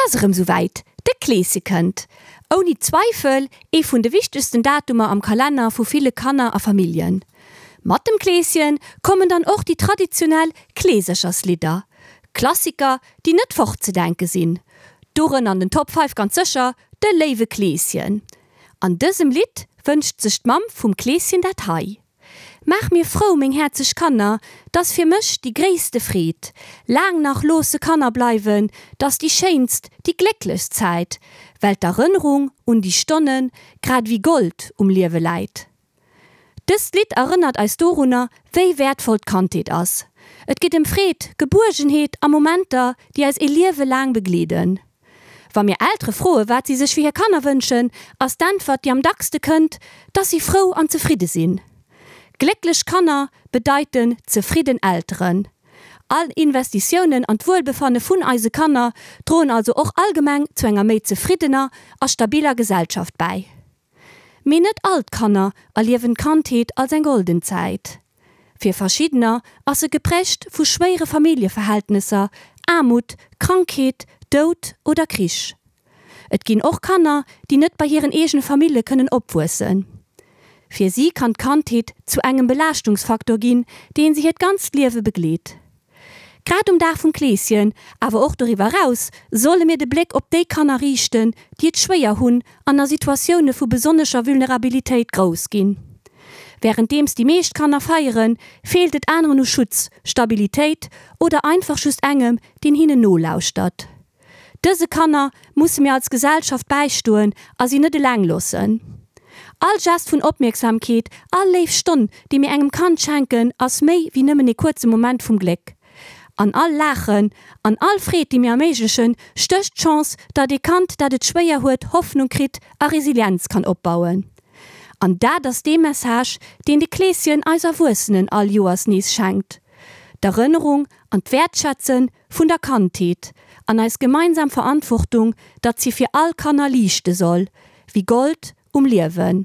ass erëm sou wäit, de Kleeschen kënnt! Ouni Zweifel ee vun de wichtegsten Datumer am Kalenner vu ville Kanner a Familljen. Mat dem Kleeschen kommen dann och déi traditionell Kleesercherslidder, Klassiker, déi net fortzedenke sinn. Dorënner an den Top 5 ganz sécher de Léiwe Kleeschen. An dësem Lidd wënscht sech d'Mamm vum Kleeschen dat hei. Maach mir frou, meng häerzeg Kanner, 't ass fir mech déi gréisste Freed. Laang nach loosse Kanner bleiwen, 't ass déi schéinst, déi glécklechst Zäit, well d'Erënnerung un déi Stonne grad ewéi Gold um Liewe läit. Dëst Lidd erënnert eis dorunner, wéi wäertvoll d'Kandheet ass. Et geet ëm Freed, Gebuergenheet a Momenter, déi eis ee Liewe laang begleeden. Wa mir Eltere froe wat si sech fir hir Kanner wënschen, ass d'Äntwert, déi am dackste kënnt, dass si frou an zefridde sinn. Glécklech Kanner bedeiten zefridden Elteren. All Investitiounen an d'Wuelbefanne vun eise Kanner droen also och allgemeng zu enger méi zefriddener a stabiller Gesellschaft bäi. Mee net all d'Kanner erliewen d'Kandheet als eng golden Zäit. Fir verschiddener ass se geprägt vu schwéiere Familljeverhältnesser, Aarmut, Krankheet, Doud oder Krich. Et ginn och Kanner, déi net bei hiren eegene Famillje kënnen opwuessen. Fir si kann d'Kandheet zu engem Belaaschtungsfaktor ginn, deen si hiert ganzt Liewe begleet. Grad um Dag vum Kleeschen, awer och doriwwer eraus, solle mir de Bléck op déi Kanner riichten, déi et schwéier hunn an a Situatioune vu besonnescher Vulnerabilitéit grouss ginn. Wärenddeems déi meescht Kanner feieren, feelt et aneren u Schutz, Stabilitéit oder einfach just engem, deen hinnen nolauschtert. Dëse Kanner musse mir als Gesellschaft bäistoen a si net eleng loossen. All Gest vun Opmierksamkeet, all léif Stonn, déi mir engem Kand schenken, ass méi wéi nëmmen ee kuerze Moment vum Gléck. An all Laachen, an all Freed, déi mir erméiglechen, stécht d'Chance, datt ee Kand, dat et schwéier huet, Hoffnung kritt a Resilienz kann opbauen. An dat ass dee Message, deen de Kleeschen eis Erwuessenen all Joers nees schenkt, D'Erënnerung an d'Wäertschätze vun der Kandheet an eis gemeinsam Verantwortung, datt si fir all Kanner liichte soll, wéi Gold um Liewen.